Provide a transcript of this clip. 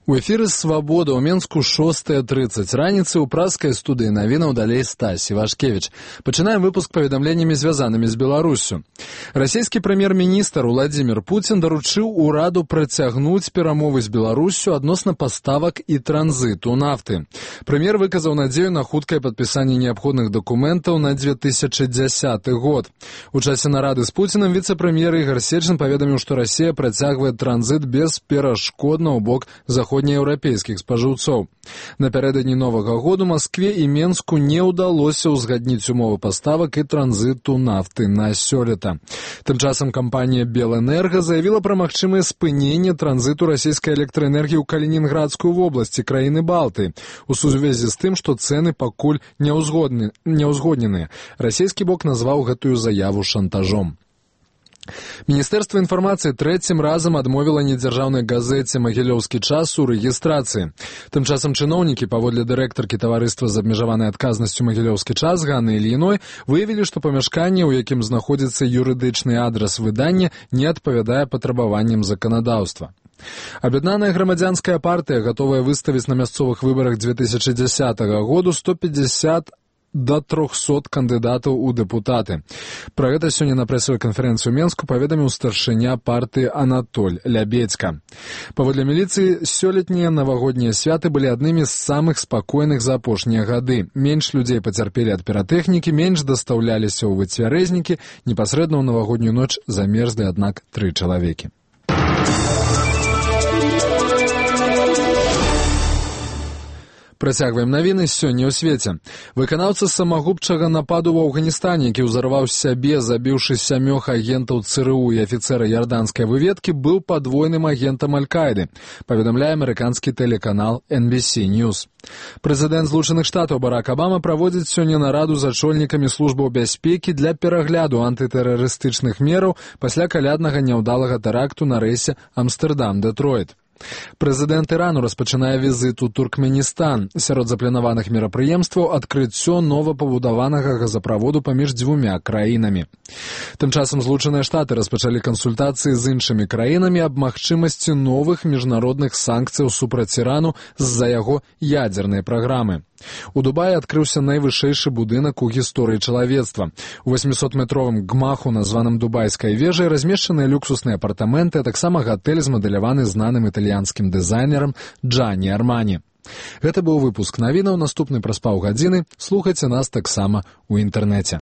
У эфіры «Свабода» ў Менску 6:30. Раніцы ў празскай студыі навінаў далей Стась Івашкевіч. Пачынаем выпуск паведамленнямі, звязанымі з Беларуссю. Расійскі прэм'ер-міністр Уладзімір Пуцін даручыў ураду працягнуць перамовы з Беларуссю адносна паставак і транзіту нафты. Прэм'ер выказаў надзею на хуткае падпісанне неабходных дакументаў на 2010 год. У часе нарады з Пуцінам віцэ-прэм'ер Ігар Сечын паведаміў, што Расія працягвае транзіт бесперашкодна ў бок заходнееўрапейскіх спажыўцоў. Напярэдадні Новага году Маскве і Менску не ўдалося ўзгадніць умовы паставак і транзіту нафты на сёлета. Тым часам кампанія «Белэнерга» заявіла пра магчымае спыненне транзіту расійскай электраэнергіі ў Калінінградскую вобласць, краіны Балты, у сувязі з тым, што цэны пакуль не ўзгодненыя. Расійскі бок назваў гэтую заяву шантажом. Міністэрства інфармацыі трэцім разам адмовіла недзяржаўнай газеце «Магілёўскі час» у рэгістрацыі. Тым часам чыноўнікі, паводле дырэктаркі таварыства з абмежаванай адказнасцю «Магілёўскі час» Ганны Ільіной, выявілі, што памяшканне, у якім знаходзіцца юрыдычны адрас выдання, не адпавядае патрабаванням заканадаўства. Аб'яднаная грамадзянская партыя гатовая выставіць на мясцовых выбарах 2010 году 150 до 300 кандыдатаў у дэпутаты. Пра гэта сёння на прэсавай канферэнцыі ў Менску паведаміў старшыня партыі Анатоль Лябедзька. Паводле міліцыі, сёлетнія навагоднія святы былі аднымі з самых спакойных за апошнія гады. Менш людзей пацярпелі ад піратэхнікі, менш дастаўляліся ў выцвярэзнікі, непасрэдна ў навагоднюю ноч замерзлі, аднак, 3 чалавекі. Працягваем навіны сёння ў свеце. Выканаўца самагубчага нападу ў Афганістане, які ўзарваў сябе, забіўшы 7 агентаў ЦРУ і афіцэра ярданскай выведкі, быў падвойным агентам Аль-Каіды, паведамляе амерыканскі тэлеканал NBC News. Прэзідэнт Злучаных Штатаў Барак Абама праводзіць сёння нараду з ачольнікамі службаў бяспекі для перагляду антытэрарыстычных мераў пасля каляднага няўдалага тэракту на рэйсе Амстэрдам-Дэтройт. Прэзідэнт Ірану распачынае візіт у Туркменістан. Сярод запланаваных мерапрыемстваў адкрыццё новапабудаванага газаправоду паміж 2 краінамі. Тым часам Злучаныя Штаты распачалі кансультацыі з іншымі краінамі аб магчымасці новых міжнародных санкцыяў супраць Ірану з-за яго ядзернай праграмы. У Дубаі адкрыўся найвышэйшы будынак у гісторыі чалавецтва. У 800-метровым гмаху, названым Дубайскай вежай, размешчаныя люксусныя апартаменты, а таксама гатэль змадэляваны знаным італьянскім дызайнерам Джанні Армані. Гэта быў выпуск навінаў, наступны праз паўгадзіны. Слухайце нас таксама ў інтэрнэце.